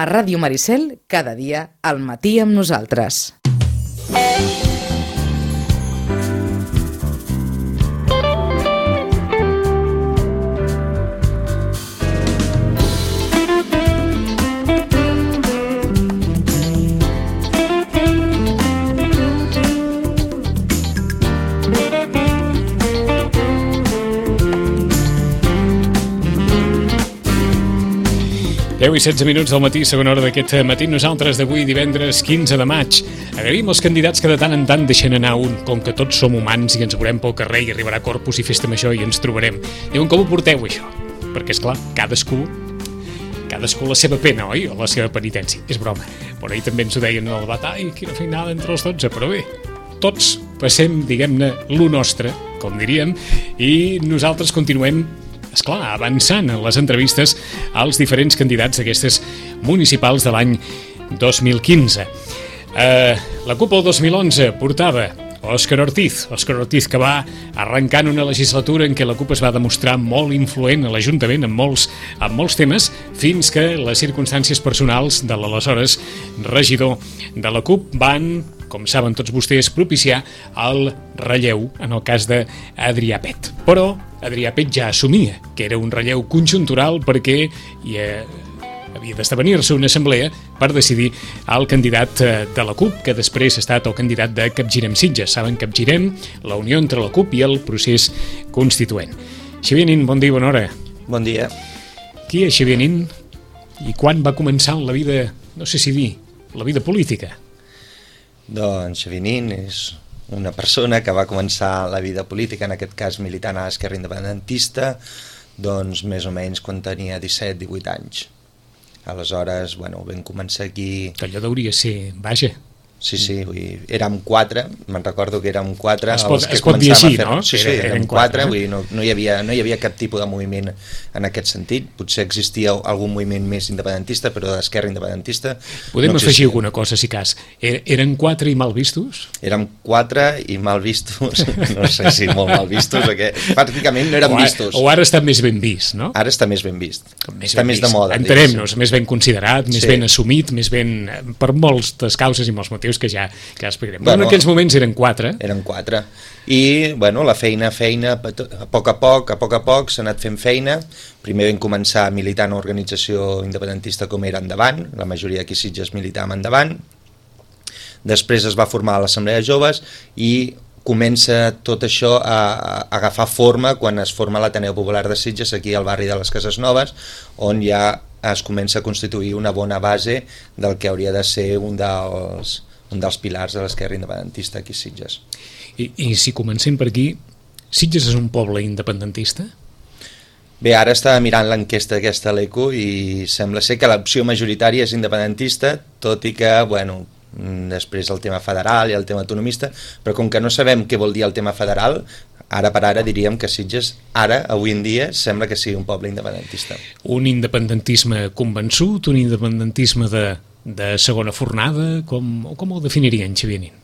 A Ràdio Maricel, cada dia, al matí amb nosaltres. Deu i 16 minuts del matí, segona hora d'aquest matí. Nosaltres d'avui, divendres 15 de maig. Agraïm els candidats que de tant en tant deixen anar un, com que tots som humans i ens veurem pel carrer i arribarà Corpus i Festa Major i ens trobarem. Diuen, com ho porteu, això? Perquè, esclar, cadascú la seva pena, oi? O la seva penitència. És broma. Però ahir també ens ho deien en el debat. Ai, quina feinada entre els 12. Però bé, tots passem, diguem-ne, lo nostre, com diríem, i nosaltres continuem avançant en les entrevistes als diferents candidats d'aquestes municipals de l'any 2015. La CUP el 2011 portava Òscar Ortiz que va arrencant una legislatura en què la CUP es va demostrar molt influent a l'Ajuntament en molts temes, fins que les circumstàncies personals de l'aleshores regidor de la CUP van, com saben tots vostès, propiciar el relleu en el cas d'Adrià Pet. Però Adrià Pet ja assumia que era un relleu conjuntural perquè havia d'esdevenir-se una assemblea per decidir el candidat de la CUP, que després ha estat el candidat de Capgirem Sitges. Saben, Capgirem, la unió entre la CUP i el procés constituent. Xavier Nin, bon dia i bona hora. Bon dia. Qui és Xavier Nin i quan va començar la vida, no sé si dir, la vida política? Doncs Xavier Nin és una persona que va començar la vida política, en aquest cas militant a l'Esquerra Independentista, doncs més o menys quan tenia 17-18 anys. Aleshores, bueno, vam començar aquí... Que allò deuria ser, vaja... Sí, érem 4, me'n recordo que érem 4... Es pot dir així, no? Sí, érem 4, vull dir, no hi havia cap tipus de moviment en aquest sentit. Potser existia algun moviment més independentista, però d'esquerra independentista... Podem afegir alguna cosa, si cas. Eren 4 i mal vistos? Érem 4 i mal vistos, no sé si molt mal vistos, perquè pràcticament no érem vistos. O ara està més ben vist, no? Ara està més ben vist, està més de moda. Entenem-nos, més ben considerat, més ben assumit, més ben... per moltes causes i molts motius que ja explicarem. Bueno, en aquells moments eren 4. Eren 4. I, bueno, la feina, a poc a poc s'ha anat fent feina. Primer vam començar militant a organització independentista com era Endavant, la majoria d'aquí Sitges militàvem Endavant. Després es va formar l'Assemblea de Joves i comença tot això a agafar forma quan es forma l'Ateneu Popular de Sitges, aquí al barri de les Cases Noves, on ja es comença a constituir una bona base del que hauria de ser un dels pilars de l'esquerra independentista aquí a Sitges. I si comencem per aquí, Sitges és un poble independentista? Bé, ara estava mirant l'enquesta aquesta a l'ECO i sembla ser que l'opció majoritària és independentista, tot i que, bueno, després el tema federal i el tema autonomista, però com que no sabem què vol dir el tema federal, ara per ara diríem que Sitges, avui en dia, sembla que sigui un poble independentista. Un independentisme convençut, un independentisme de segona fornada, com ho definirien, Xavier Nin?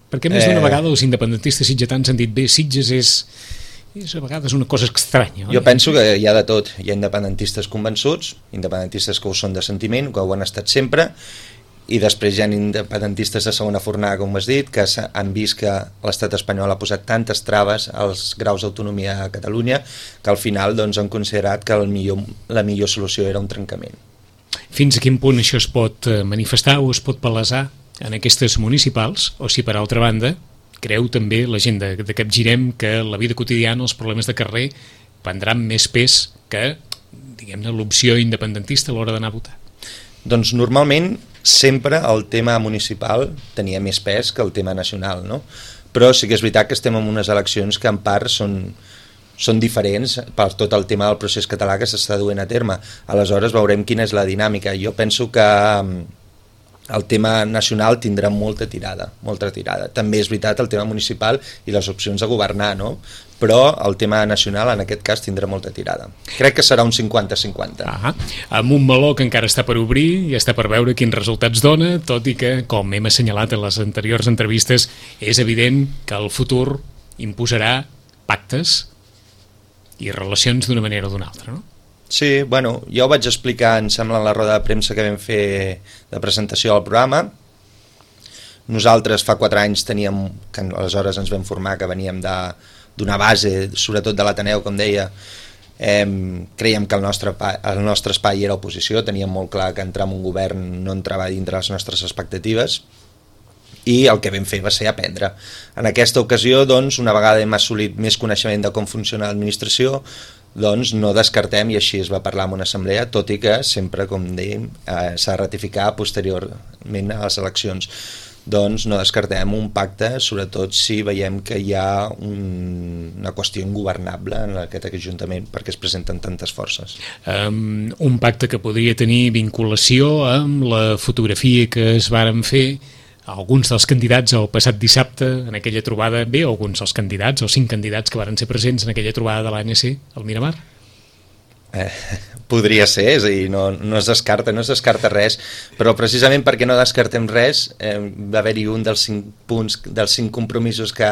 Perquè més d'una vegada els independentistes sitgetans han dit, bé, Sitges és a vegades una cosa estranya. Jo penso que hi ha de tot. Hi ha independentistes convençuts, independentistes que ho són de sentiment, que ho han estat sempre, i després hi ha independentistes de segona fornada, com has dit, que han vist que l'estat espanyol ha posat tantes traves als graus d'autonomia a Catalunya que al final doncs, han considerat que la millor solució era un trencament. Fins a quin punt això es pot manifestar o es pot palesar en aquestes municipals, o si per altra banda creu també la gent de Capgirem que la vida quotidiana, els problemes de carrer prendran més pes que, diguem-ne, l'opció independentista a l'hora d'anar a votar? Doncs normalment sempre el tema municipal tenia més pes que el tema nacional, no? Però sí que és veritat que estem en unes eleccions que en part són diferents per tot el tema del procés català que s'està duent a terme. Aleshores veurem quina és la dinàmica. Jo penso que el tema nacional tindrà molta tirada. També és veritat el tema municipal i les opcions de governar, no? Però el tema nacional en aquest cas tindrà molta tirada. Crec que serà un 50-50. Amb un meló que encara està per obrir i està per veure quins resultats dona, tot i que, com hem assenyalat en les anteriors entrevistes, és evident que el futur imposarà pactes i relacions d'una manera o d'una altra, no? Sí, bueno, jo ho vaig explicar, em sembla, en la roda de premsa que vam fer de presentació del programa. Nosaltres fa 4 anys teníem, que aleshores ens vam formar, que veníem d'una base, sobretot de l'Ateneu, com deia, creiem que el nostre espai era oposició, teníem molt clar que entrar en un govern no entrava dintre les nostres expectatives, i el que vam fer va ser aprendre. En aquesta ocasió, doncs, una vegada hem assolit més coneixement de com funciona l'administració, doncs no descartem, i així es va parlar en una assemblea, tot i que sempre, com dèiem, s'ha de ratificar posteriorment a les eleccions. Doncs no descartem un pacte, sobretot si veiem que hi ha una qüestió ingovernable en aquest ajuntament perquè es presenten tantes forces. Un pacte que podria tenir vinculació amb la fotografia que es varen fer alguns dels candidats el passat dissabte en aquella trobada, alguns dels candidats o 5 candidats que varen ser presents en aquella trobada de l'ANC al Miramar? Podria ser, és a dir, no es descarta res, però precisament perquè no descartem res, va haver-hi un dels 5 punts, dels 5 compromisos que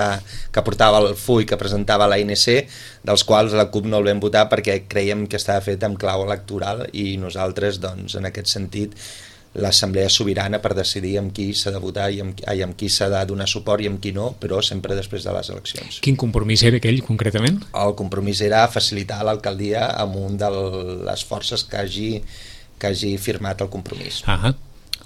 portava el full que presentava l'ANC, dels quals la CUP no el vam votar perquè creiem que estava fet amb clau electoral, i nosaltres, doncs, en aquest sentit, l'assemblea sobirana per decidir amb qui s'ha de votar i amb qui s'ha de donar suport i amb qui no, però sempre després de les eleccions. Quin compromís era aquell, concretament? El compromís era facilitar l'alcaldia amb un de les forces que hagi firmat el compromís.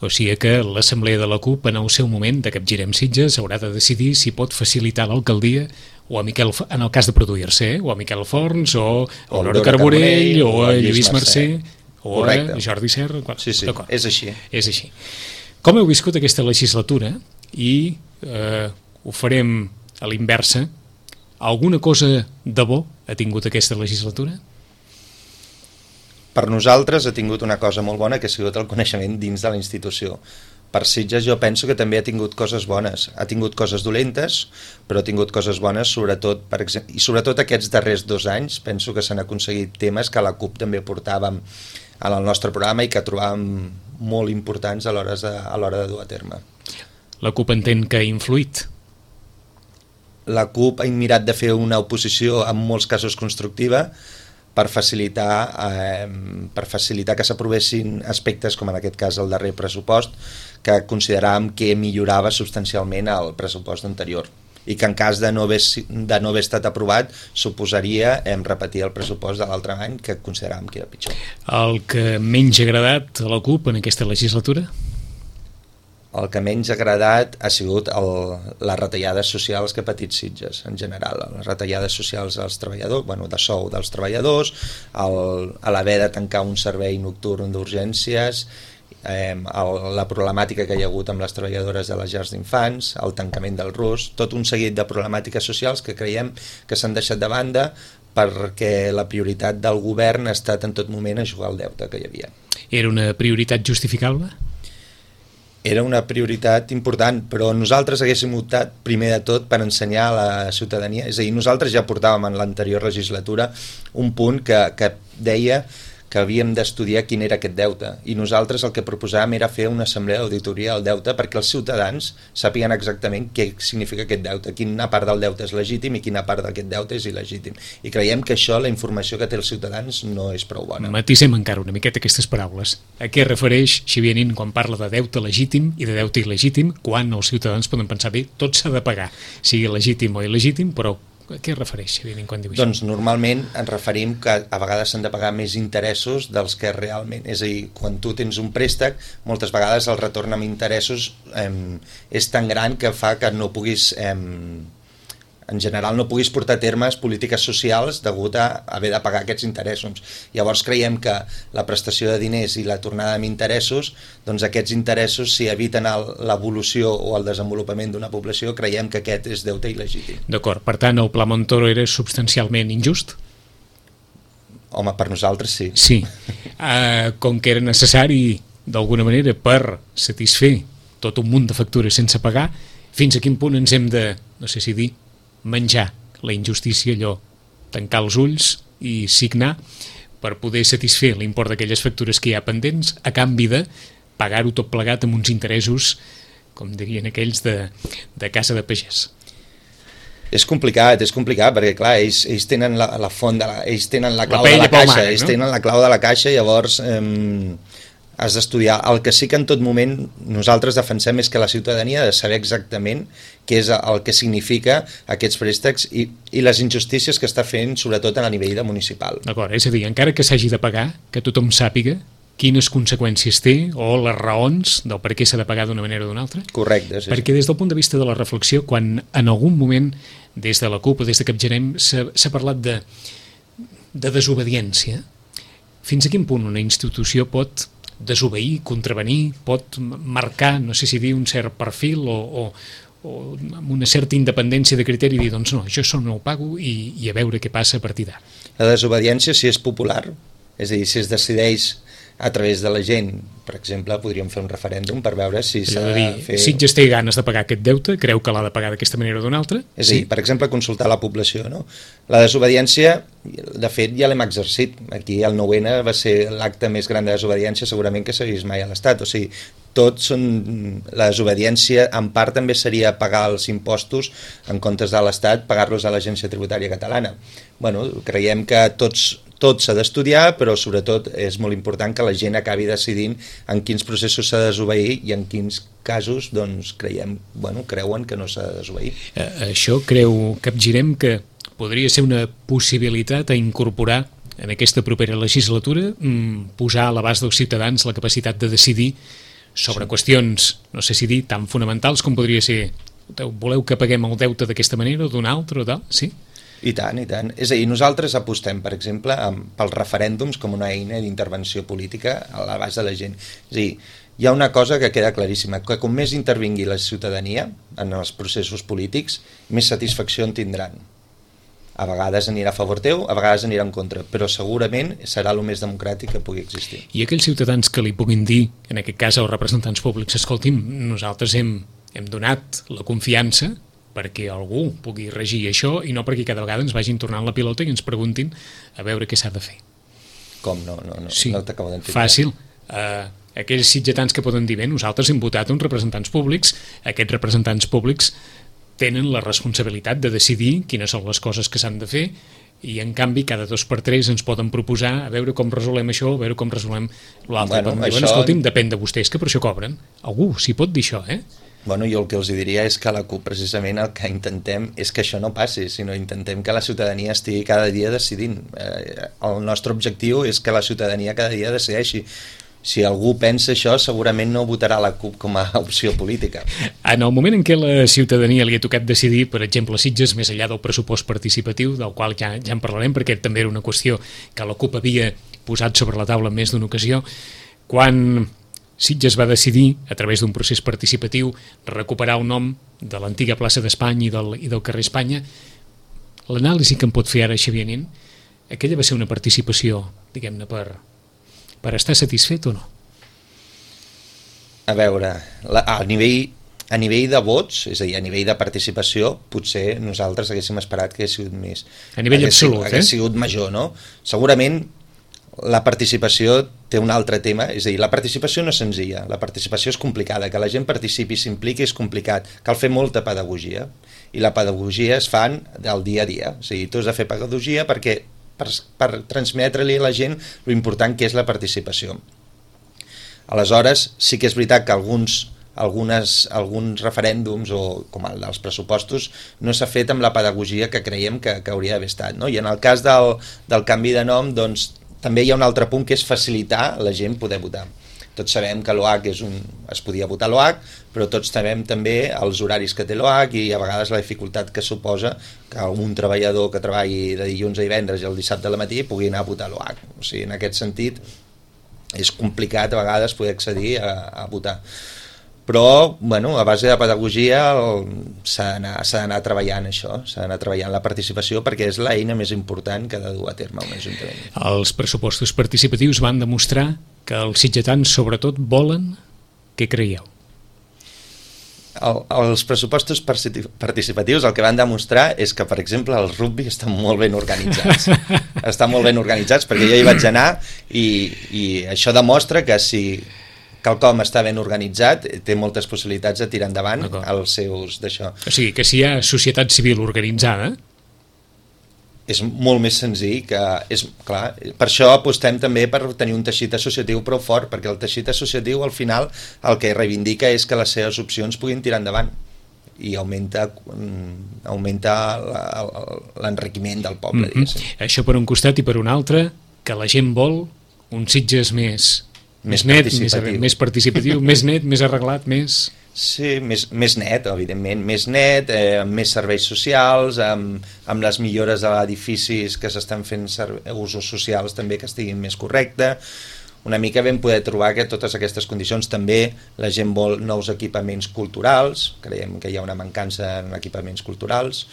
O sigui que l'assemblea de la CUP en el seu moment de Capgirem Sitges haurà de decidir si pot facilitar l'alcaldia o a Miquel, en el cas de produir-se, o a Miquel Forns, o a Aurora Carbonell, o a Lluís Mercè, o a Jordi Serra. Sí, és així. És així. Com heu viscut aquesta legislatura? I ho farem a l'inversa. Alguna cosa de bo ha tingut aquesta legislatura? Per nosaltres ha tingut una cosa molt bona, que ha sigut el coneixement dins de la institució. Per Sitges jo penso que també ha tingut coses bones. Ha tingut coses dolentes, però ha tingut coses bones, sobretot, i sobretot aquests darrers 2 anys, penso que s'han aconseguit temes que la CUP també portàvem en el nostre programa i que trobàvem molt importants a l'hora de dur a terme. La CUP entén que ha influït? La CUP ha mirat de fer una oposició en molts casos constructiva per facilitar que s'aprovessin aspectes com en aquest cas el darrer pressupost, que consideràvem que millorava substancialment el pressupost anterior i que en cas de no haver estat aprovat suposaria repetir el pressupost de l'altre any, que consideràvem que era pitjor. El que menys ha agradat a la CUP en aquesta legislatura? El que menys ha agradat ha sigut les retallades socials que ha patit Sitges, en general. Les retallades socials als treballadors, de sou dels treballadors, l'haver de tancar un servei nocturn d'urgències, la problemàtica que hi ha hagut amb les treballadores de les llars d'infants, el tancament del RUS, tot un seguit de problemàtiques socials que creiem que s'han deixat de banda perquè la prioritat del govern ha estat en tot moment a jugar al deute que hi havia. Era una prioritat justificable? Era una prioritat important, però nosaltres haguéssim optat primer de tot per ensenyar a la ciutadania, és a dir, nosaltres ja portàvem en l'anterior legislatura un punt que deia que havíem d'estudiar quin era aquest deute, i nosaltres el que proposàvem era fer una assemblea d'auditoria del deute perquè els ciutadans sàpiguen exactament què significa aquest deute, quina part del deute és legítim i quina part d'aquest deute és il·legítim, i creiem que això, la informació que té els ciutadans, no és prou bona. Matisem encara una miqueta aquestes paraules. A què refereix Xavier Nin quan parla de deute legítim i de deute il·legítim, quan els ciutadans poden pensar, bé, tot s'ha de pagar, sigui legítim o il·legítim, però a què es refereix, Xavier Nin, quan diu això? Doncs normalment ens referim que a vegades s'han de pagar més interessos dels que realment, és a dir, quan tu tens un préstec, moltes vegades el retorn amb interessos és tan gran que fa que no puguis, en general no puguis portar a termes polítiques socials degut a haver de pagar aquests interessos. Llavors creiem que la prestació de diners i la tornada amb interessos, doncs aquests interessos, si eviten l'evolució o el desenvolupament d'una població, creiem que aquest és deute il·legítim. D'acord, per tant, el Pla Montoro era substancialment injust? Home, per nosaltres sí. Sí. Com que era necessari, d'alguna manera, per satisfer tot un munt de factures sense pagar, fins a quin punt ens hem de, no sé si dir, menjar la injustícia, allò, tancar els ulls i signar per poder satisfer l'import d'aquelles factures que hi ha pendents a canvi de pagar-ho tot plegat amb uns interessos, com dirien aquells, de casa de pagès. És complicat, perquè clar, ells tenen la font, ells tenen la clau de la caixa, ells tenen la clau de la caixa, llavors has d'estudiar. El que sí que en tot moment nosaltres defensem és que la ciutadania ha de saber exactament què és el que significa aquests préstecs i les injustícies que està fent, sobretot a nivell de municipal. D'acord, és a dir, encara que s'hagi de pagar, que tothom sàpiga quines conseqüències té o les raons del per què s'ha de pagar d'una manera o d'una altra. Correcte, sí. Perquè des del punt de vista de la reflexió, quan en algun moment des de la CUP o des de Capgirem s'ha parlat de desobediència, fins a quin punt una institució pot desobeir, contravenir, pot marcar, no sé si dir un cert perfil o amb una certa independència de criteri i dir, doncs no, jo això no ho pago i a veure què passa a partir d'ara. La desobediència, si és popular, és a dir, si es decideix a través de la gent, per exemple, podríem fer un referèndum per veure si s'ha de fer... Sitges té ganes de pagar aquest deute, creu que l'ha de pagar d'aquesta manera o d'una altra? És a dir, per exemple, consultar la població, no? La desobediència, de fet, ja l'hem exercit. Aquí el 9-N va ser l'acte més gran de desobediència segurament que s'ha vist mai a l'Estat. O sigui, tots són... La desobediència, en part, també seria pagar els impostos en comptes de l'Estat, pagar-los a l'Agència Tributària Catalana. Bueno, creiem que tot s'ha d'estudiar, però sobretot és molt important que la gent acabi decidint en quins processos s'ha de desobeir i en quins casos doncs, creuen que no s'ha de desobeir. Això creu Capgirem que podria ser una possibilitat a incorporar en aquesta propera legislatura, posar a l'abast dels ciutadans la capacitat de decidir sobre qüestions, no sé si dir, tan fonamentals com podria ser, voleu que paguem el deute d'aquesta manera o d'una altra o tal, sí? I tant, i tant. És a dir, nosaltres apostem, per exemple, pels referèndums com una eina d'intervenció política a l'abast de la gent. És a dir, hi ha una cosa que queda claríssima, que com més intervingui la ciutadania en els processos polítics, més satisfacció en tindran. A vegades anirà a favor teu, a vegades anirà en contra, però segurament serà el més democràtic que pugui existir. I aquells ciutadans que li puguin dir, en aquest cas als representants públics, escolti'm, nosaltres hem donat la confiança perquè algú pugui regir això i no perquè cada vegada ens vagin tornant la pilota i ens preguntin a veure què s'ha de fer. Com no? Sí, no t'acabo d'entendre. Fàcil. Aquells sitgetans que poden dir, bé, nosaltres hem votat uns representants públics, aquests representants públics tenen la responsabilitat de decidir quines són les coses que s'han de fer i en canvi cada 2 per 3 ens poden proposar a veure com resolem això, a veure com resolem l'altre. Això... Escolti'm, depèn de vostès que per això cobren. Algú s'hi pot dir això, Bueno, jo el que els diria és que a la CUP precisament el que intentem és que això no passi, sinó intentem que la ciutadania estigui cada dia decidint. El nostre objectiu és que la ciutadania cada dia decideixi. Si algú pensa això, segurament no votarà la CUP com a opció política. En el moment en què la ciutadania li ha tocat decidir, per exemple, a Sitges, més enllà del pressupost participatiu, del qual ja en parlarem, perquè també era una qüestió que la CUP havia posat sobre la taula en més d'una ocasió, quan Sitges va decidir, a través d'un procés participatiu, recuperar el nom de l'antiga plaça d'Espanya i del carrer Espanya, l'anàlisi que en pot fer ara Xavier Nin, aquella va ser una participació, diguem-ne, per estar satisfet o no? A veure, a nivell de vots, és a dir, a nivell de participació, potser nosaltres haguéssim esperat que hagués sigut més. A nivell absolut, hagués sigut major, no? Segurament la participació té un altre tema, és a dir, la participació no és senzilla, la participació és complicada, que la gent participi i s'impliqui és complicat, cal fer molta pedagogia, i la pedagogia es fan del dia a dia, o sigui, tu has de fer pedagogia perquè per transmetre-li a la gent l'important que és la participació. Aleshores, sí que és veritat que alguns referèndums, o com el dels pressupostos, no s'ha fet amb la pedagogia que creiem que hauria d'haver estat, no? I en el cas del canvi de nom, doncs, també hi ha un altre punt que és facilitar la gent poder votar. Tots sabem que l'OH es podia votar l'OH, però tots sabem també els horaris que té l'OH i a vegades la dificultat que suposa que un treballador que treballi de dilluns a divendres i el dissabte al matí pugui anar a votar l'OH. O sigui, en aquest sentit és complicat a vegades poder accedir a votar. Però, bueno, a base de pedagogia s'ha d'anar treballant això, s'ha d'anar treballant la participació perquè és l'eina més important que ha de dur a terme un ajuntament. Els pressupostos participatius van demostrar que els sitgetans sobretot volen. Què creieu? Els pressupostos participatius el que van demostrar és que, per exemple, el rugby estan molt ben organitzats. Estan molt ben organitzats perquè jo hi vaig anar i això demostra que si quelcom està ben organitzat, té moltes possibilitats de tirar endavant els seus d'això. O sigui, que si hi ha societat civil organitzada... És molt més senzill que... Clar, per això apostem també per tenir un teixit associatiu prou fort, perquè el teixit associatiu al final el que reivindica és que les seves opcions puguin tirar endavant i augmenta l'enriquiment del poble. Això per un costat, i per un altre, que la gent vol un Sitges més net, més participatiu, més net, més arreglat, més... Sí, més net, evidentment, més net, amb més serveis socials, amb les millores de edificis que s'estan fent usos socials també que estiguin més correctes. Una mica vam poder trobar que totes aquestes condicions també la gent vol nous equipaments culturals, creiem que hi ha una mancança en equipaments culturals.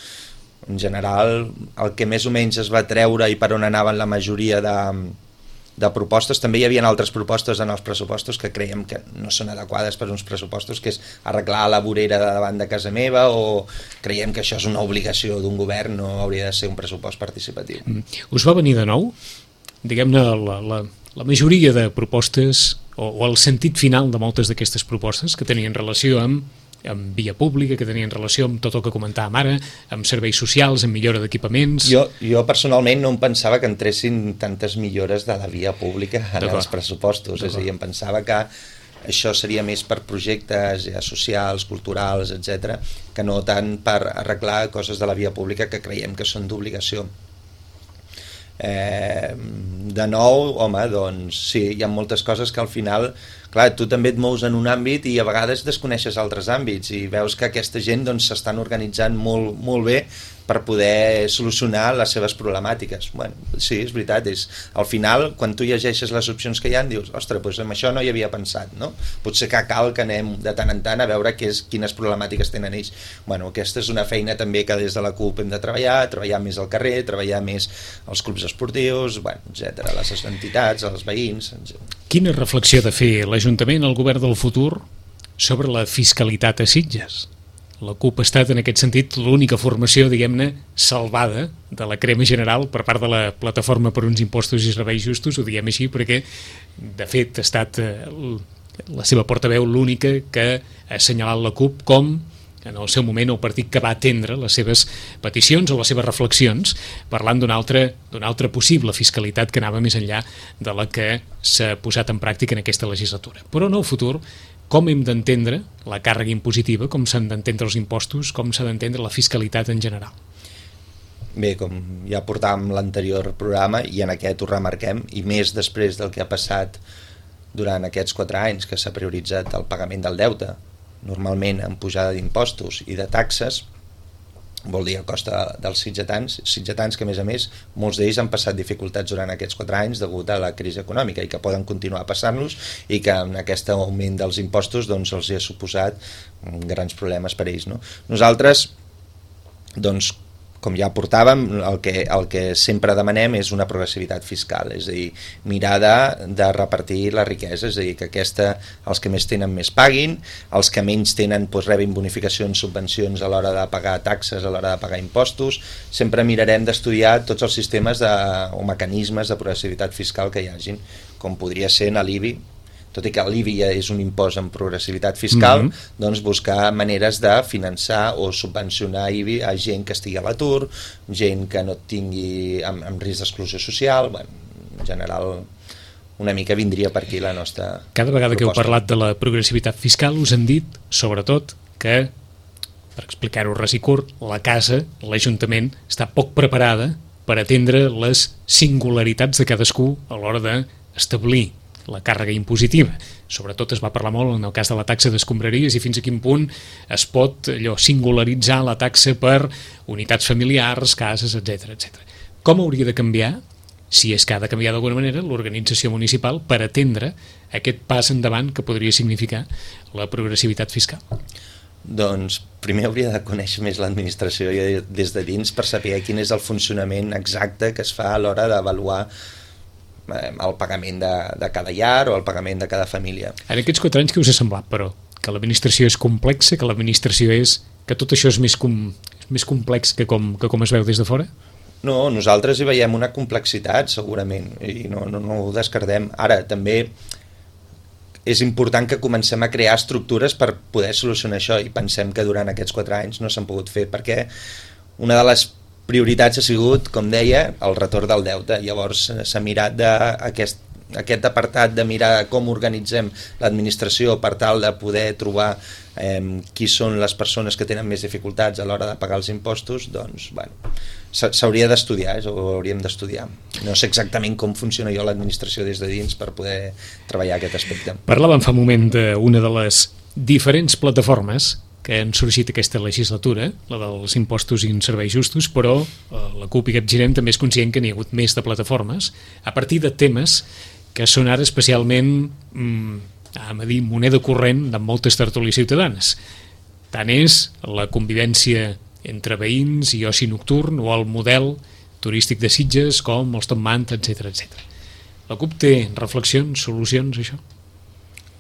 En general, el que més o menys es va treure i per on anaven la majoria de propostes, també hi havia altres propostes en els pressupostos que creiem que no són adequades per uns pressupostos, que és arreglar la vorera de davant de casa meva, o creiem que això és una obligació d'un govern, no hauria de ser un pressupost participatiu. Us va venir de nou? Diguem-ne, la majoria de propostes, o el sentit final de moltes d'aquestes propostes que tenien relació amb via pública, que tenien relació amb tot el que comentàvem ara, amb serveis socials, amb millora d'equipaments... Jo personalment no em pensava que entressin tantes millores de la via pública en els pressupostos, és a dir, em pensava que això seria més per projectes socials, culturals, etc., que no tant per arreglar coses de la via pública que creiem que són d'obligació. De nou, home, doncs sí, hi ha moltes coses que al final, clar, tu també et mous en un àmbit i a vegades desconeixes altres àmbits i veus que aquesta gent doncs s'estan organitzant molt bé per poder solucionar les seves problemàtiques. Bueno, sí, és veritat, al final, quan tu llegeixes les opcions que hi ha, dius, ostres, doncs amb això no hi havia pensat, no? Potser que cal que anem de tant en tant a veure quines problemàtiques tenen ells. Bueno, aquesta és una feina també que des de la CUP hem de treballar més al carrer, treballar més als clubs esportius, bueno, etc., les entitats, els veïns... etc. Quina reflexió ha de fer l'Ajuntament, el govern del futur, sobre la fiscalitat a Sitges? La CUP ha estat, en aquest sentit, l'única formació, diguem-ne, salvada de la crema general per part de la Plataforma per uns impostos i serveis justos, ho diem així, perquè, de fet, ha estat la seva portaveu l'única que ha assenyalat la CUP com, en el seu moment, el partit que va atendre les seves peticions o les seves reflexions, parlant d'una altra possible fiscalitat que anava més enllà de la que s'ha posat en pràctica en aquesta legislatura. Però en el futur, com hem d'entendre la càrrega impositiva, com s'han d'entendre els impostos, com s'ha d'entendre la fiscalitat en general? Bé, com ja portàvem l'anterior programa, i en aquest ho remarquem, i més després del que ha passat durant aquests 4 anys, que s'ha prioritzat el pagament del deute, normalment amb pujada d'impostos i de taxes, vol dir a costa dels sitgetans que, a més, molts d'ells han passat dificultats durant aquests 4 anys degut a la crisi econòmica i que poden continuar passant-los i que en aquest augment dels impostos doncs, els hi ha suposat grans problemes per ells. No? Nosaltres, doncs, com ja portàvem, el que sempre demanem és una progressivitat fiscal, és a dir, mirar de repartir la riquesa, és a dir, que els que més tenen més paguin, els que menys tenen doncs, rebin bonificacions, subvencions a l'hora de pagar taxes, a l'hora de pagar impostos. Sempre mirarem d'estudiar tots els sistemes o mecanismes de progressivitat fiscal que hi hagin, com podria ser en l'IBI, tot i que l'IBI ja és un impost amb progressivitat fiscal, doncs buscar maneres de finançar o subvencionar IBI a gent que estigui a l'atur, gent que no tingui amb risc d'exclusió social. Bueno, en general, una mica vindria per aquí la nostra Cada vegada proposta. Que heu parlat de la progressivitat fiscal us han dit, sobretot, que, per explicar-ho res i curt, la casa, l'Ajuntament, està poc preparada per atendre les singularitats de cadascú a l'hora d'establir la càrrega impositiva. Sobretot es va parlar molt en el cas de la taxa d'escombraries i fins a quin punt es pot singularitzar la taxa per unitats familiars, cases, etc. Com hauria de canviar, si és que ha de canviar d'alguna manera, l'organització municipal per atendre aquest pas endavant que podria significar la progressivitat fiscal? Doncs primer hauria de conèixer més l'administració des de dins per saber quin és el funcionament exacte que es fa a l'hora d'avaluar el pagament de cada llar o el pagament de cada família. En aquests 4 anys què us ha semblat, però? Que l'administració és complexa, que l'administració que tot això és més complex que com es veu des de fora? No, nosaltres hi veiem una complexitat, segurament, i no ho descartem. Ara, també és important que comencem a crear estructures per poder solucionar això, i pensem que durant aquests 4 anys no s'han pogut fer, perquè una de les prioritats ha sigut, com deia, el retorn del deute. Llavors s'ha mirat aquest apartat de mirar com organitzem l'administració per tal de poder trobar qui són les persones que tenen més dificultats a l'hora de pagar els impostos. Doncs, bueno, s'hauria d'estudiar, ho hauríem d'estudiar. No sé exactament com funciona jo l'administració des de dins per poder treballar aquest aspecte. Parlàvem fa un moment d'una de les diferents plataformes que han sorgit aquesta legislatura, la dels impostos i serveis justos, però la CUP i Capgirem també és conscient que n'hi ha hagut més de plataformes a partir de temes que són ara especialment moneda corrent de moltes tertúlies ciutadanes. Tant és la convivència entre veïns i oci nocturn o el model turístic de Sitges com els Top Manta, etc etc. La CUP té reflexions, solucions, això?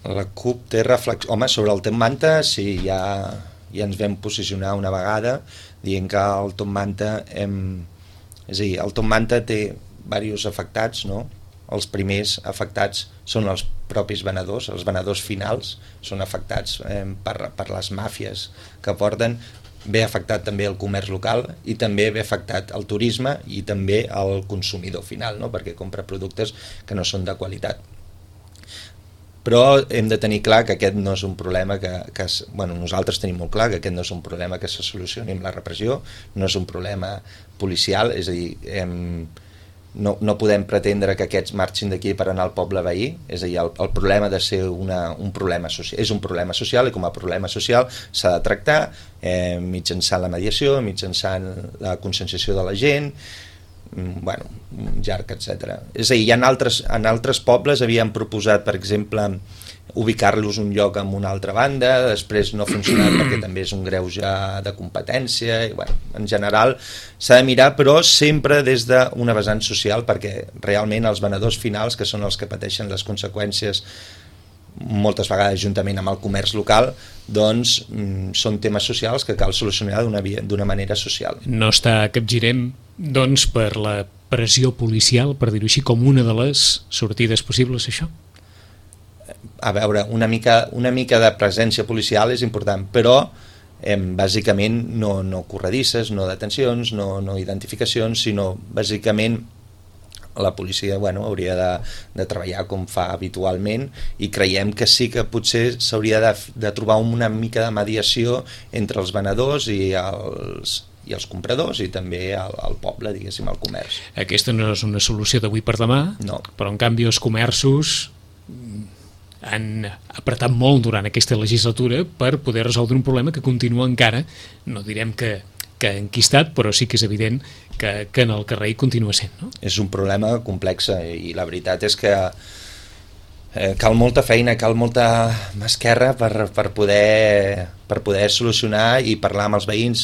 La CUP té reflexions... Home, sobre el Top Manta sí, ja ens vam posicionar una vegada dient que el Top Manta... És a dir, el Top Manta té diversos afectats, no? Els primers afectats són els propis venedors, els venedors finals són afectats per les màfies que porten, ve afectat també el comerç local i també ve afectat el turisme i també el consumidor final, no? Perquè compra productes que no són de qualitat. Però hem de tenir clar que aquest no és un problema nosaltres tenim molt clar que aquest no és un problema que se solucioni amb la repressió, no és un problema policial, és a dir, no podem pretendre que aquests marxin d'aquí per anar al poble veí, és a dir, el problema ha de ser un problema social, és un problema social i com a problema social s'ha de tractar mitjançant la mediació, mitjançant la conscienciació de la gent, bueno, llarg, etc. És a dir, en altres pobles havien proposat, per exemple, ubicar-los un lloc en una altra banda, després no ha funcionat perquè també és un greuge de competència, i, bueno, en general s'ha de mirar, però sempre des d'una vessant social, perquè realment els venedors finals, que són els que pateixen les conseqüències moltes vegades juntament amb el comerç local, doncs són temes socials que cal solucionar d'una manera social. No està Capgirem, doncs, per la pressió policial, per dir-ho així, com una de les sortides possibles, això? A veure, una mica de presència policial és important, però bàsicament no corredisses, no detencions, no identificacions, sinó bàsicament la policia hauria de treballar com fa habitualment, i creiem que sí que potser s'hauria de trobar una mica de mediació entre els venedors i els compradors i també el poble, diguéssim, el comerç. Aquesta no és una solució d'avui per demà, no. Però en canvi els comerços han apretat molt durant aquesta legislatura per poder resoldre un problema que continua encara, no direm que enquistat, però sí que és evident que en el carrer hi continua sent, no? És un problema complex i la veritat és que cal molta feina, cal molta esquerra per poder solucionar i parlar amb els veïns.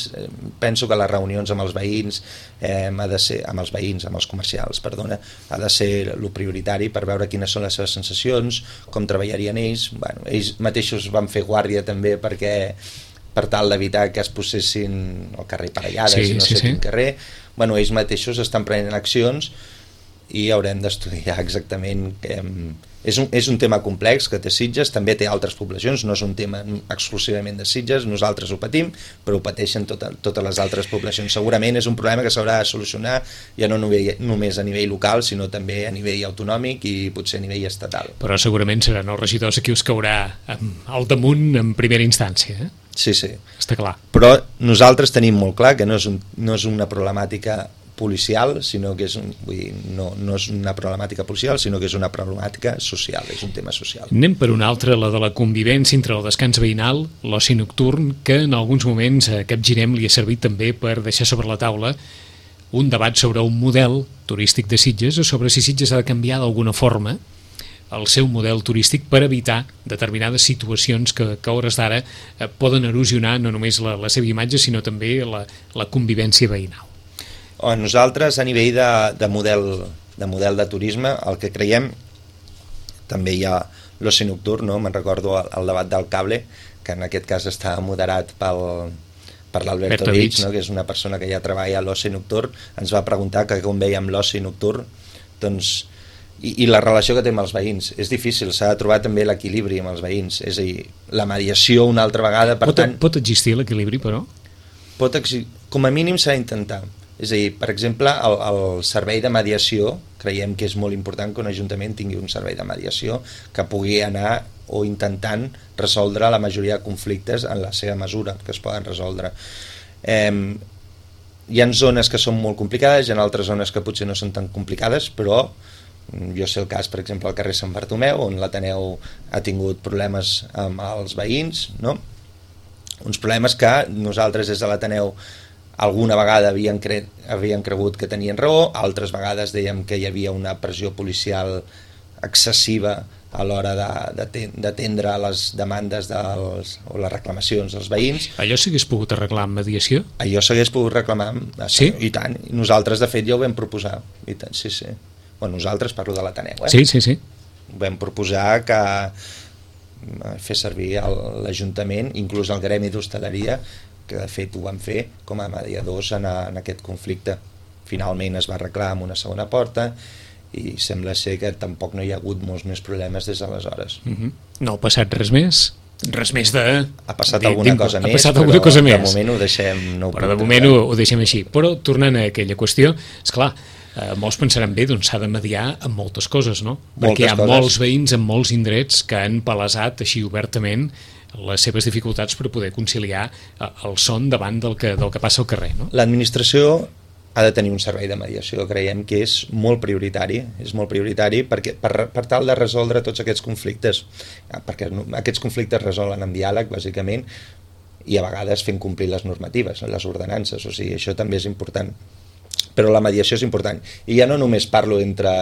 Penso que les reunions amb els veïns ha de ser, amb els comercials, perdona, ha de ser el prioritari per veure quines són les seves sensacions, com treballarien ells. Bueno, ells mateixos van fer guàrdia també per tal d'evitar que es posessin al carrer parellades i no sé quin carrer. Bueno, ells mateixos estan prenent accions i haurem d'estudiar exactament és un tema complex que té Sitges, també té altres poblacions, no és un tema exclusivament de Sitges, nosaltres ho patim, però ho pateixen totes les altres poblacions. Segurament és un problema que s'haurà de solucionar ja no només a nivell local, sinó també a nivell autonòmic i potser a nivell estatal. Però segurament seran els regidors qui us caurà al damunt en primera instància, Sí. Està clar. Però nosaltres tenim molt clar que no és una problemàtica policial, sinó que no és una problemàtica policial, sinó que és una problemàtica social, és un tema social. Anem per una altra, la de la convivència entre el descans veïnal, l'oci nocturn, que en alguns moments a Capgirem li ha servit també per deixar sobre la taula un debat sobre un model turístic de Sitges o sobre si Sitges ha de canviar d'alguna forma el seu model turístic per evitar determinades situacions que a hores d'ara poden erosionar no només la seva imatge, sinó també la convivència veïnal. Nosaltres, a nivell de model de turisme, el que creiem, també hi ha l'oci nocturn, no? Me'n recordo el debat del cable, que en aquest cas està moderat per l'Alberto Vich, no? Que és una persona que ja treballa a l'oci nocturn, ens va preguntar que com veiem l'oci nocturn. Doncs i la relació que té amb els veïns. És difícil, s'ha de trobar també l'equilibri amb els veïns, és a dir, la mediació una altra vegada, per tant... Pot existir l'equilibri, però? Com a mínim s'ha d'intentar. És a dir, per exemple, el servei de mediació, creiem que és molt important que un ajuntament tingui un servei de mediació que pugui anar o intentant resoldre la majoria de conflictes en la seva mesura, que es poden resoldre. Hi ha zones que són molt complicades, hi ha altres zones que potser no són tan complicades, però jo sé el cas, per exemple, al carrer Sant Bartomeu, on l'Ateneu ha tingut problemes amb els veïns, no? Uns problemes que nosaltres des de l'Ateneu alguna vegada havien cregut que tenien raó, altres vegades dèiem que hi havia una pressió policial excessiva a l'hora d'atendre les demandes o les reclamacions dels veïns. Allò s'hagués pogut arreglar amb mediació? Allò s'hagués pogut reclamar, sí? I tant. Nosaltres, de fet, ja ho vam proposar. I tant, sí. Bueno, nosaltres parlo de l'Ateneu, Sí. Vam proposar que fer servir l'Ajuntament, inclús el Gremi d'Hostaleria, que de fet ho van fer com a mediadors en aquest conflicte. Finalment es va arreglar amb una segona porta i sembla ser que tampoc no hi ha hagut molts més problemes des d'aleshores. No ha passat res més? Res més de... Ha passat alguna cosa més, però de moment ho deixem... Però de moment ho deixem així. Però tornant a aquella qüestió, esclar, molts pensaran bé, doncs s'ha de mediar amb moltes coses, no? Perquè hi ha molts veïns en molts indrets que han palesat així obertament les seves dificultats per poder conciliar el son davant del que passa al carrer, no? L'administració ha de tenir un servei de mediació, creiem que és molt prioritari perquè per tal de resoldre tots aquests conflictes, perquè aquests conflictes resolen amb diàleg, bàsicament, i a vegades fent complir les normatives, les ordenances, o sigui, això també és important. Però la mediació és important. I ja no només parlo entre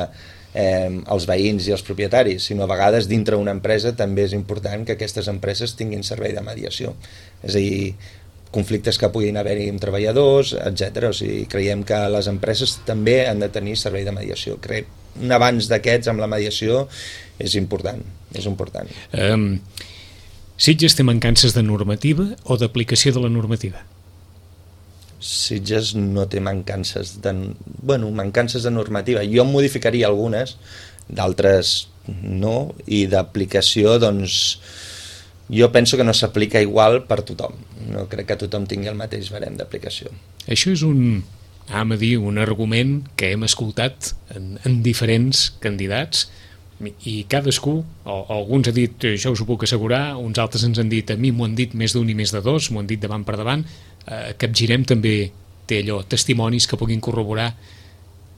els veïns i els propietaris, sinó a vegades dintre una empresa també és important que aquestes empreses tinguin servei de mediació. És a dir, conflictes que puguin haver-hi amb treballadors, etc. O sigui, creiem que les empreses també han de tenir servei de mediació. Un avanç d'aquests amb la mediació és important. Sitges té mancances de normativa o d'aplicació de la normativa? Sitges no té mancances de normativa. Jo en modificaria algunes, d'altres no, i d'aplicació, doncs, jo penso que no s'aplica igual per tothom. No crec que tothom tingui el mateix barem d'aplicació. Això és un argument que hem escoltat en diferents candidats, i cadascú, alguns han dit això us ho puc assegurar, uns altres ens han dit a mi m'ho han dit més d'un i més de dos, m'ho han dit davant per davant. Capgirem també té allò, testimonis que puguin corroborar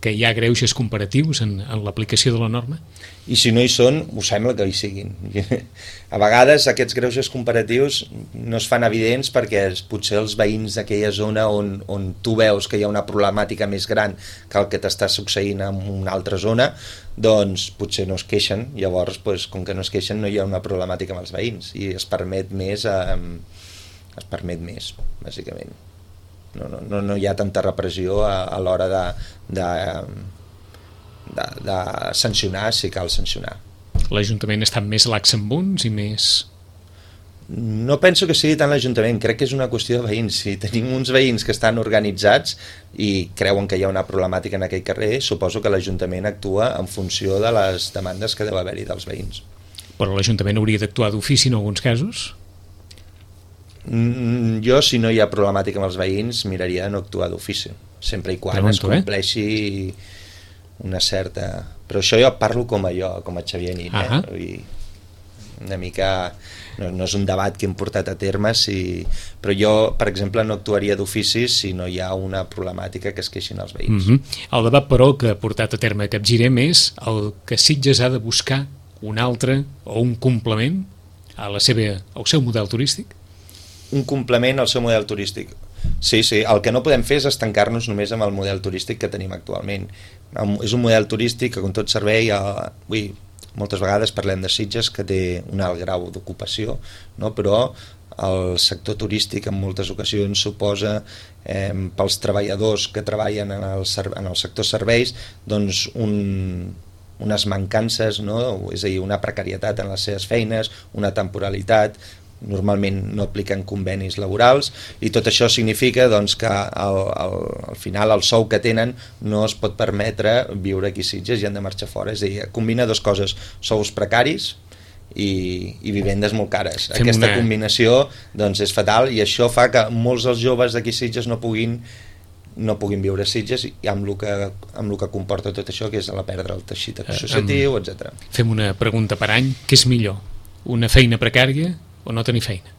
que hi ha greuges comparatius en l'aplicació de la norma? I si no hi són, ho sembla que hi siguin. A vegades aquests greuges comparatius no es fan evidents perquè potser els veïns d'aquella zona on tu veus que hi ha una problemàtica més gran que el que t'està succeint en una altra zona, doncs potser no es queixen. Llavors, com que no es queixen, no hi ha una problemàtica amb els veïns i es permet més, bàsicament. No hi ha tanta repressió a l'hora de sancionar, si cal sancionar. L'Ajuntament està més lax amb uns i més... No penso que sigui tant l'Ajuntament, crec que és una qüestió de veïns. Si tenim uns veïns que estan organitzats i creuen que hi ha una problemàtica en aquell carrer, suposo que l'Ajuntament actua en funció de les demandes que deu haver-hi dels veïns. Però l'Ajuntament hauria d'actuar d'ofici en alguns casos? Jo, si no hi ha problemàtica amb els veïns, miraria de no actuar d'ofici, sempre i quan es compleixi una certa... Però això jo parlo com a Xavier Nin, una mica... No és un debat que hem portat a terme, però jo, per exemple, no actuaria d'ofici si no hi ha una problemàtica que es queixin els veïns. El debat, però, que ha portat a terme Capgirem és el que Sitges ha de buscar un altre o un complement al seu model turístic? Un complement al seu model turístic. Sí, el que no podem fer és estancar-nos només amb el model turístic que tenim actualment. És un model turístic que, com tot servei, moltes vegades parlem de Sitges que té un alt grau d'ocupació, no? Però el sector turístic en moltes ocasions suposa pels treballadors que treballen en el sector serveis doncs unes mancances, no? És a dir, una precarietat en les seves feines, una temporalitat, normalment no apliquen convenis laborals, i tot això significa doncs, que al final el sou que tenen no es pot permetre viure aquí a Sitges i han de marxar fora. És a dir, combina dues coses, sous precaris i vivendes molt cares. Aquesta combinació doncs, és fatal, i això fa que molts dels joves d'aquí a Sitges no puguin viure a Sitges, i amb el que comporta tot això, que és la perdre el teixit associatiu, etc. Fem una pregunta per any: què és millor, una feina precària o no tenir feina?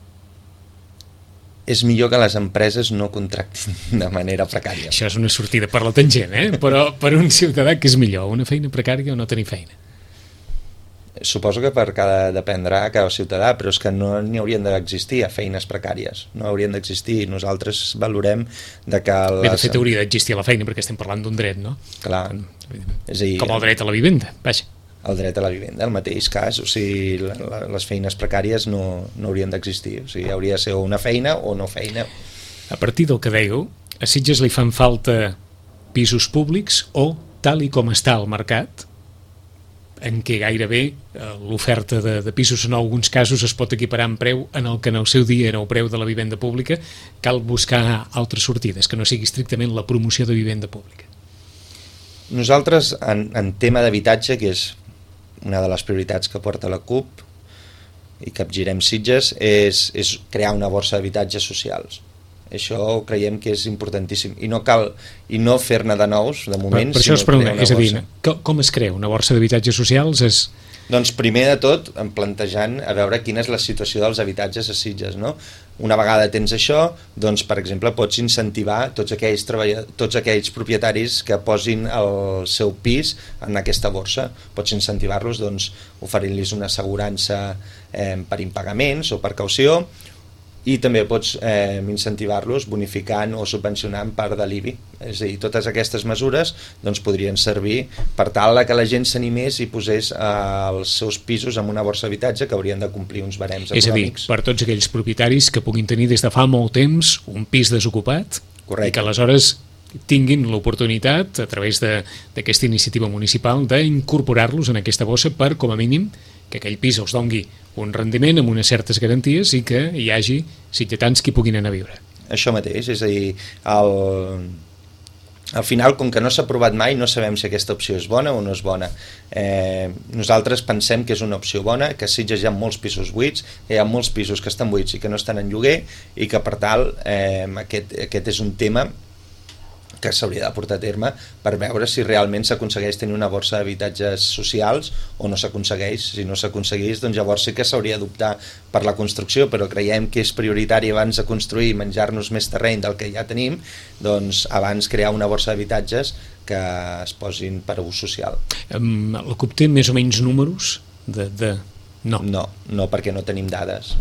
És millor que les empreses no contractin de manera precària. Això és una sortida per la tangent, però per un ciutadà, què és millor, una feina precària o no tenir feina? Suposo que dependrà cada ciutadà, però és que no n'hi haurien d'existir feines precàries, no haurien d'existir. Nosaltres valorem de que... Bé, de fet hauria d'existir la feina, perquè estem parlant d'un dret, no? Clar. És a dir, com el dret a la vivenda, vaja. El dret a la vivenda, el mateix cas, o sigui, les feines precàries no haurien d'existir, o sigui, hauria de ser una feina o no feina. A partir del que dèieu, a Sitges li fan falta pisos públics o, tal i com està el mercat, en què gairebé l'oferta de pisos en alguns casos es pot equiparar en preu en el que en el seu dia era el preu de la vivenda pública, cal buscar altres sortides, que no sigui estrictament la promoció de vivenda pública. Nosaltres, en tema d'habitatge, que és una de les prioritats que porta la CUP i capgirem Sitges, és crear una borsa d'habitatges socials. Això creiem que és importantíssim, i no cal no fer-ne de nous de moment. Per això es pregunta, és a dir, com es crea una borsa d'habitatges socials? Doncs primer de tot plantejant a veure quina és la situació dels habitatges a Sitges, no? Una vegada tens això, doncs per exemple pots incentivar tots aquells propietaris que posin el seu pis en aquesta borsa. Pots incentivar-los doncs, oferint-los una assegurança per impagaments o per caució, i també pots incentivar-los bonificant o subvencionant part de l'IBI. És a dir, totes aquestes mesures doncs, podrien servir per tal que la gent s'animés i posés els seus pisos en una borsa d'habitatge, que haurien de complir uns barems econòmics. És a dir, per tots aquells propietaris que puguin tenir des de fa molt temps un pis desocupat. Correcte. I que aleshores tinguin l'oportunitat, a través d'aquesta iniciativa municipal, d'incorporar-los en aquesta bossa per, com a mínim, que aquell pis els dongui un rendiment amb unes certes garanties i que hi hagi sitgetans que puguin anar a viure. Això mateix, és a dir, al final, com que no s'ha provat mai, no sabem si aquesta opció és bona o no és bona. Nosaltres pensem que és una opció bona, que a Sitges hi ha molts pisos buits, hi ha molts pisos que estan buits i que no estan en lloguer, i que per tal aquest és un tema que s'hauria de portar a terme per veure si realment s'aconsegueix tenir una borsa d'habitatges socials o no s'aconsegueix. Si no s'aconsegueix, doncs llavors sí que s'hauria d'optar per la construcció, però creiem que és prioritari abans de construir i menjar-nos més terreny del que ja tenim, doncs abans crear una borsa d'habitatges que es posin per a ús social. La CUP té més o menys números No. No, perquè no tenim dades.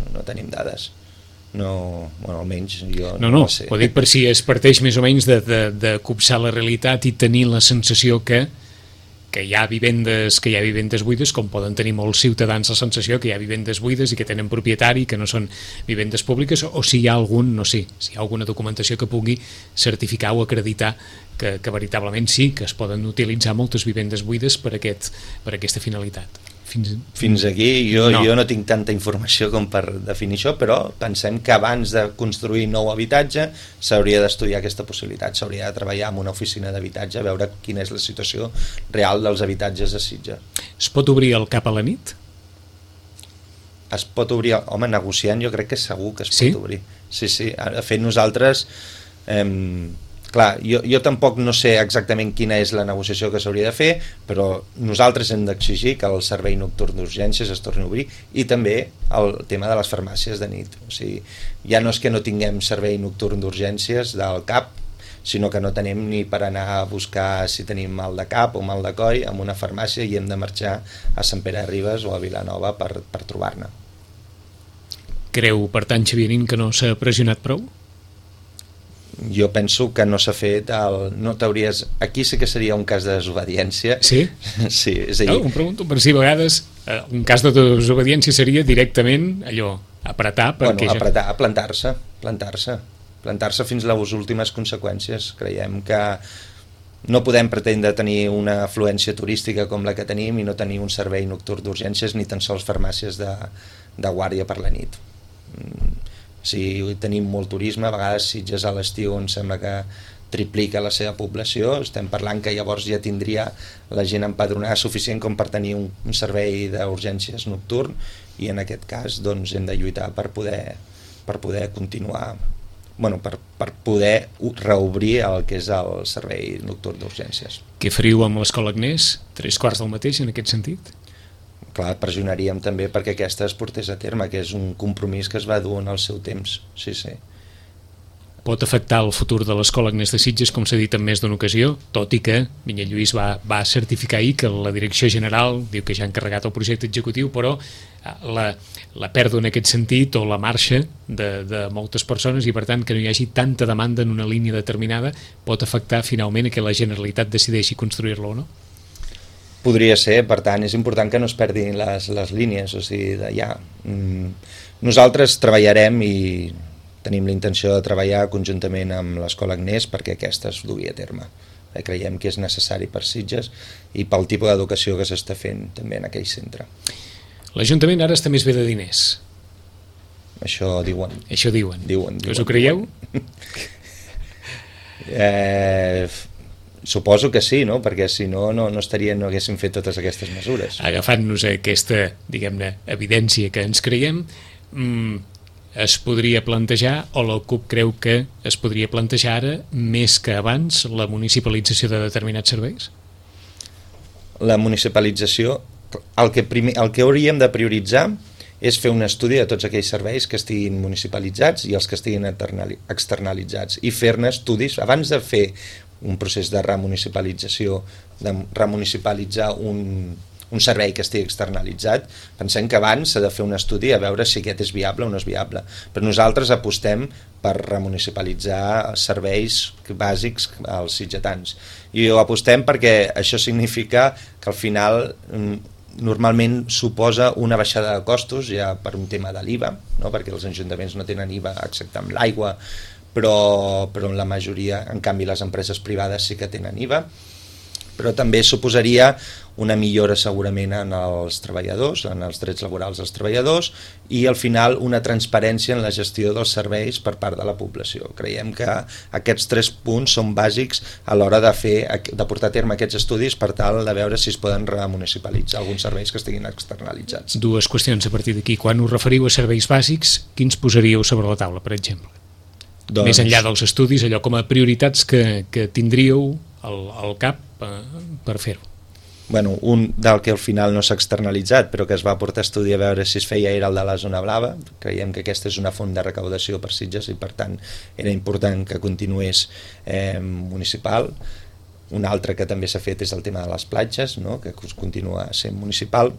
No, bueno, almenys jo no sé. Ho dic per si es parteix més o menys de copsar la realitat i tenir la sensació que hi ha vivendes buides, com poden tenir molts ciutadans la sensació que hi ha vivendes buides i que tenen propietari, que no són vivendes públiques, o si hi ha si hi ha alguna documentació que pugui certificar o acreditar que veritablement sí, que es poden utilitzar moltes vivendes buides per aquesta finalitat. Fins aquí jo no tinc tanta informació com per definir això, però pensem que abans de construir nou habitatge s'hauria d'estudiar aquesta possibilitat, s'hauria de treballar amb una oficina d'habitatge a veure quina és la situació real dels habitatges a Sitges. Es pot obrir el cap a la nit? Es pot obrir, home, negociant jo crec que segur que es pot obrir. Sí, de fet nosaltres... Clar, jo tampoc no sé exactament quina és la negociació que s'hauria de fer, però nosaltres hem d'exigir que el servei nocturn d'urgències es torni a obrir, i també el tema de les farmàcies de nit. O sigui, ja no és que no tinguem servei nocturn d'urgències del CAP, sinó que no tenim ni per anar a buscar si tenim mal de cap o mal de coll en una farmàcia i hem de marxar a Sant Pere de Ribes o a Vilanova per trobar-ne. Creu, per tant, Xavier Nin, que no s'ha pressionat prou? Jo penso que no s'ha fet aquí sí que seria un cas de desobediència. Sí? Sí, és a dir... Em pregunto per si a vegades un cas de desobediència seria directament allò, apretar perquè... Bueno, apretar, plantar-se fins a les últimes conseqüències. Creiem que no podem pretendre tenir una afluència turística com la que tenim i no tenir un servei nocturn d'urgències ni tan sols farmàcies de guàrdia per la nit. Si tenim molt turisme, a vegades Sitges a l'estiu em sembla que triplica la seva població, estem parlant que llavors ja tindria la gent empadronada suficient com per tenir un servei d'urgències nocturn, i en aquest cas doncs, hem de lluitar per poder continuar, per poder reobrir el que és el servei nocturn d'urgències. Què fariu amb l'Escola Agnès? 3/4 del mateix en aquest sentit? Clar, pressionaríem també perquè aquesta es portés a terme, que és un compromís que es va dur en el seu temps. Sí. Pot afectar el futur de l'Escola Agnès de Sitges, com s'ha dit en més d'una ocasió, tot i que Minyell Lluís va certificar ahir que la direcció general diu que ja ha encarregat el projecte executiu, però la pèrdua en aquest sentit o la marxa de moltes persones, i per tant que no hi hagi tanta demanda en una línia determinada, pot afectar finalment a que la Generalitat decideixi construir-la o no? Podria ser, per tant, és important que no es perdin les línies, o sigui, nosaltres treballarem i tenim la intenció de treballar conjuntament amb l'Escola Agnès perquè aquesta es dugui a terme. Creiem que és necessari per Sitges i pel tipus d'educació que s'està fent també en aquell centre. L'Ajuntament ara està més bé de diners. Això diuen. Això diuen. Us ho creieu? Suposo que sí, no? Perquè si no haguéssim fet totes aquestes mesures. Agafant-nos aquesta, diguem-ne, evidència que ens creiem, es podria plantejar, o la CUP creu que es podria plantejar ara, més que abans, la municipalització de determinats serveis? La municipalització, el que hauríem de prioritzar és fer un estudi de tots aquells serveis que estiguin municipalitzats i els que estiguin externalitzats, i fer-ne estudis abans de fer un procés de remunicipalització, de remunicipalitzar un servei que estigui externalitzat. Pensem que abans s'ha de fer un estudi a veure si aquest és viable o no és viable. Però nosaltres apostem per remunicipalitzar serveis bàsics als sitgetans. I ho apostem perquè això significa que al final normalment suposa una baixada de costos ja per un tema de l'IVA, no? Perquè els ajuntaments no tenen IVA excepte amb l'aigua, però en la majoria, en canvi les empreses privades sí que tenen IVA, però també suposaria una millora segurament en els treballadors, en els drets laborals dels treballadors, i al final una transparència en la gestió dels serveis per part de la població. Creiem que aquests 3 punts són bàsics a l'hora de portar a terme aquests estudis per tal de veure si es poden remunicipalitzar alguns serveis que estiguin externalitzats. 2 qüestions a partir d'aquí. Quan us referiu a serveis bàsics, quins posaríeu sobre la taula, per exemple? Més enllà dels estudis, allò com a prioritats que tindríeu al cap per fer-ho. Bueno, un del que al final no s'ha externalitzat però que es va portar a estudi a veure si es feia era el de la zona blava. Creiem que aquesta és una font de recaudació per Sitges i per tant era important que continués municipal. Un altre que també s'ha fet és el tema de les platges, no? Que continua sent municipal.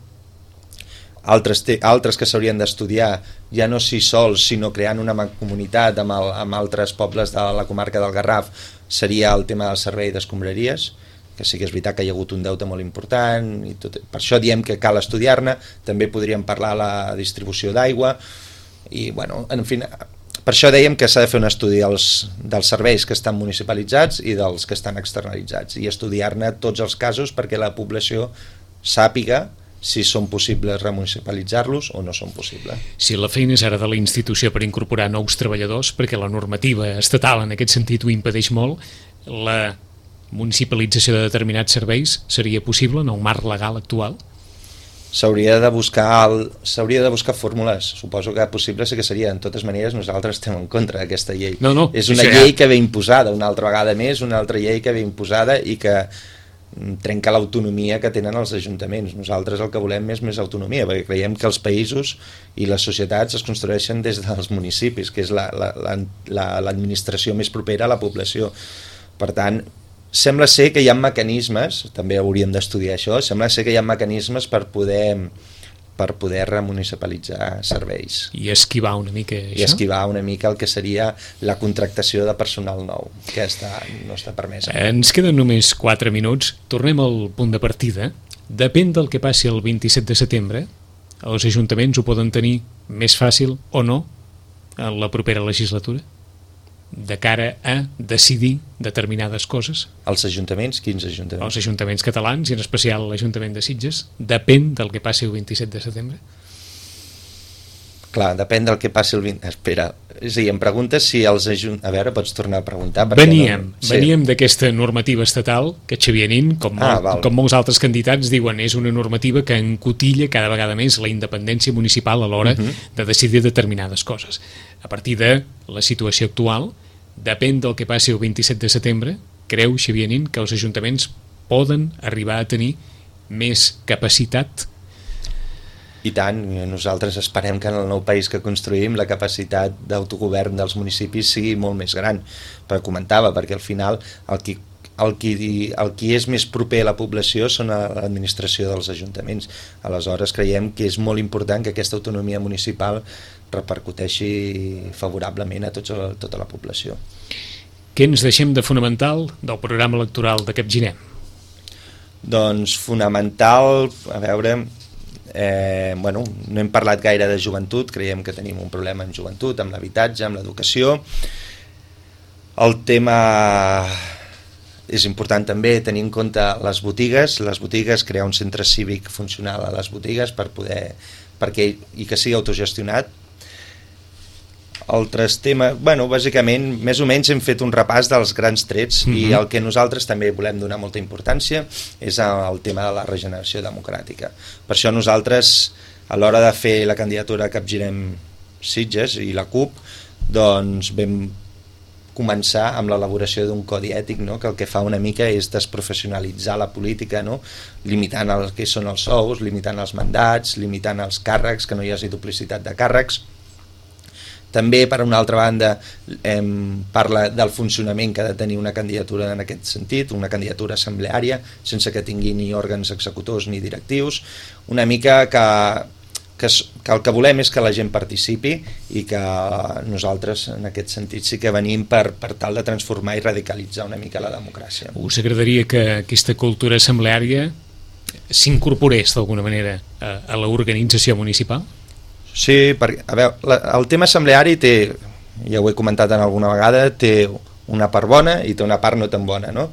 Altres que s'haurien d'estudiar ja no si sols sinó creant una comunitat amb altres pobles de la comarca del Garraf seria el tema del servei d'escombraries, que sí que és veritat que hi ha hagut un deute molt important i tot. Per això diem que cal estudiar-ne. També podríem parlar de la distribució d'aigua i bueno, en fi, per això dèiem que s'ha de fer un estudi dels serveis que estan municipalitzats i dels que estan externalitzats i estudiar-ne tots els casos perquè la població sàpiga si són possibles remunicipalitzar-los o no són possibles. Si la feina és ara de la institució per incorporar nous treballadors, perquè la normativa estatal en aquest sentit ho impedeix molt, la municipalització de determinats serveis seria possible en el marc legal actual? S'hauria de buscar fórmules. Suposo que possible sí que seria. De totes maneres, nosaltres estem en contra d'aquesta llei. No, és una llei que ve imposada, una altra vegada més, una altra llei que ve imposada i que trenca l'autonomia que tenen els ajuntaments. Nosaltres el que volem és més autonomia, perquè creiem que els països i les societats es construeixen des dels municipis, que és l'administració més propera a la població. Per tant, sembla ser que hi ha mecanismes, també hauríem d'estudiar això, sembla ser que hi ha mecanismes per poder remunicipalitzar serveis. I esquivar una mica això? I esquivar una mica el que seria la contractació de personal nou, que no està permesa. Ens queden només 4 minuts. Tornem al punt de partida. Depèn del que passi el 27 de setembre, els ajuntaments ho poden tenir més fàcil o no en la propera legislatura, de cara a decidir determinades coses. Els ajuntaments? Quins ajuntaments? Els ajuntaments catalans, i en especial l'Ajuntament de Sitges, depèn del que passi el 27 de setembre? Clar, depèn del que passi el 20... Espera, és a dir, em preguntes si els A veure, pots tornar a preguntar? Veníem d'aquesta normativa estatal que Xavier Nin, com molts altres candidats, diuen és una normativa que encotilla cada vegada més la independència municipal a l'hora de decidir determinades coses. A partir de la situació actual, depèn del que passi el 27 de setembre, creu Xavier Nin que els ajuntaments poden arribar a tenir més capacitat? I tant, nosaltres esperem que en el nou país que construïm la capacitat d'autogovern dels municipis sigui molt més gran, però comentava, perquè al final el qui és més proper a la població són l'administració dels ajuntaments. Aleshores creiem que és molt important que aquesta autonomia municipal repercuteixi favorablement a tota la població. Què ens deixem de fonamental del programa electoral de Capgirem? Doncs fonamental, a veure... no hem parlat gaire de joventut, creiem que tenim un problema en joventut, amb l'habitatge, amb l'educació. El tema és important també tenir en compte les botigues, crear un centre cívic funcional a les botigues i que sigui autogestionat. Altres temes, bàsicament, més o menys hem fet un repàs dels grans trets i el que nosaltres també volem donar molta importància és el tema de la regeneració democràtica. Per això nosaltres, a l'hora de fer la candidatura a Capgirem Sitges i la CUP, doncs vam començar amb l'elaboració d'un codi ètic, no? Que el que fa una mica és desprofessionalitzar la política, no? Limitant el que són els sous, limitant els mandats, limitant els càrrecs, que no hi hagi duplicitat de càrrecs. També, per una altra banda, parla del funcionament que ha de tenir una candidatura en aquest sentit, una candidatura assembleària, sense que tingui ni òrgans executors ni directius, una mica que el que volem és que la gent participi i que nosaltres, en aquest sentit, sí que venim per tal de transformar i radicalitzar una mica la democràcia. Us agradaria que aquesta cultura assembleària s'incorporés d'alguna manera a l'organització municipal? Sí, perquè, a veure, el tema assembleari té, ja ho he comentat en alguna vegada, té una part bona i té una part no tan bona, no?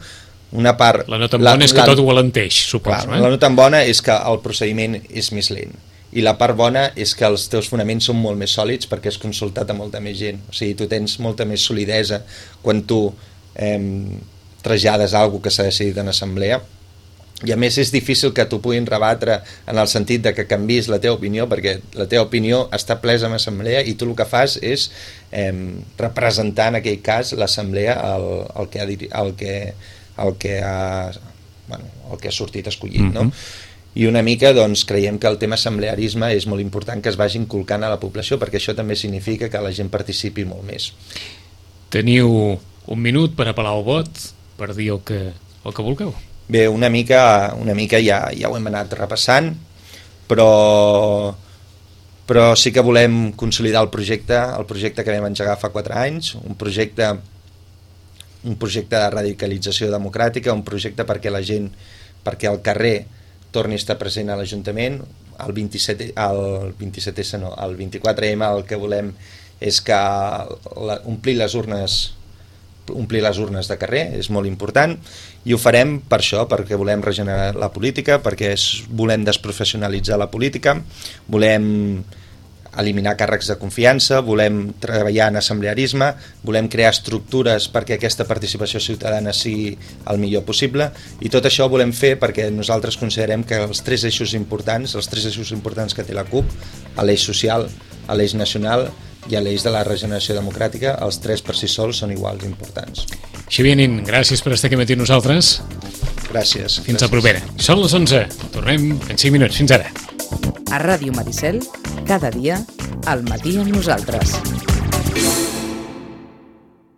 Una part... La no tan bona és que tot ho alenteix, suposo. Clar, la no tan bona és que el procediment és més lent i la part bona és que els teus fonaments són molt més sòlids perquè has consultat a molta més gent. O sigui, tu tens molta més solidesa quan tu trasllades alguna que s'ha decidit en assemblea. I a més és difícil que t'ho puguin rebatre en el sentit de que canvis la teva opinió, perquè la teva opinió està presa en assemblea i tu el que fas és representar en aquell cas l'assemblea el que ha sortit escollit, no? I una mica doncs, creiem que el tema assemblearisme és molt important que es vagi inculcant a la població, perquè això també significa que la gent participi molt més. Teniu un minut per apel·lar el vot, per dir el que vulgueu. Bé, una mica ja ho hem anat repassant, però sí que volem consolidar el projecte que vam engegar fa 4 anys, un projecte de radicalització democràtica, un projecte perquè la gent, perquè el carrer torni a estar present a l'Ajuntament. El 24M el que volem és que omplir les urnes de carrer, és molt important, i ho farem per això, perquè volem regenerar la política, perquè volem desprofessionalitzar la política, volem eliminar càrrecs de confiança, volem treballar en assemblearisme, volem crear estructures perquè aquesta participació ciutadana sigui el millor possible, i tot això ho volem fer perquè nosaltres considerem que els tres eixos importants que té la CUP, l'eix social, l'eix nacional i a l'eix de la regeneració democràtica, els tres per si sols són iguals importants. Xavier Nin, gràcies per estar aquí matí amb nosaltres. Gràcies. Fins a propera. Són les 11. Tornem en 5 minuts. Fins ara. A Ràdio Maricel, cada dia, al matí amb nosaltres.